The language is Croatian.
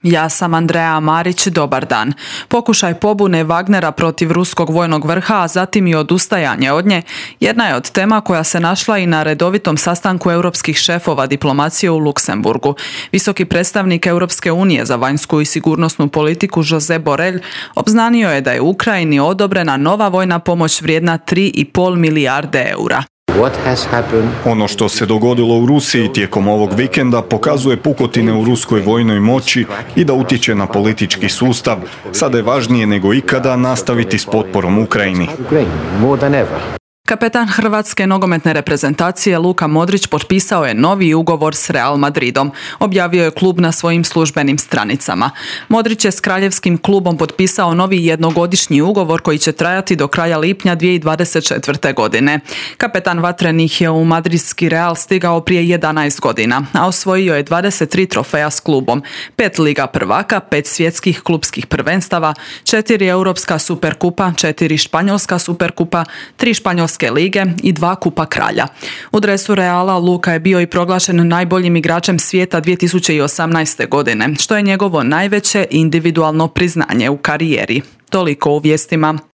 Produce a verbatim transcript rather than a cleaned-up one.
Ja sam Andreja Marić, dobar dan. Pokušaj pobune Wagnera protiv ruskog vojnog vrha, a zatim i odustajanje od nje, jedna je od tema koja se našla i na redovitom sastanku europskih šefova diplomacije u Luksemburgu. Visoki predstavnik Europske unije za vanjsku i sigurnosnu politiku Josep Borrell obznanio je da je Ukrajini odobrena nova vojna pomoć vrijedna tri i pol milijarde eura. Ono što se dogodilo u Rusiji tijekom ovog vikenda pokazuje pukotine u ruskoj vojnoj moći i da utječe na politički sustav. Sada je važnije nego ikada nastaviti s potporom Ukrajini. Kapetan hrvatske nogometne reprezentacije Luka Modrić potpisao je novi ugovor s Real Madridom, objavio je klub na svojim službenim stranicama. Modrić je s kraljevskim klubom potpisao novi jednogodišnji ugovor koji će trajati do kraja lipnja dvije tisuće dvadeset četvrte. godine. Kapetan vatrenih je u madridski Real stigao prije jedanaest godina, a osvojio je dvadeset tri trofeja s klubom, pet Liga prvaka, pet svjetskih klubskih prvenstava, četiri Europska superkupa, četiri Španjolska superkupa, tri Španjolske lige i dva Kupa kralja. U dresu Reala Luka je bio i proglašen najboljim igračem svijeta dvije tisuće osamnaeste. godine, što je njegovo najveće individualno priznanje u karijeri. Toliko u vijestima.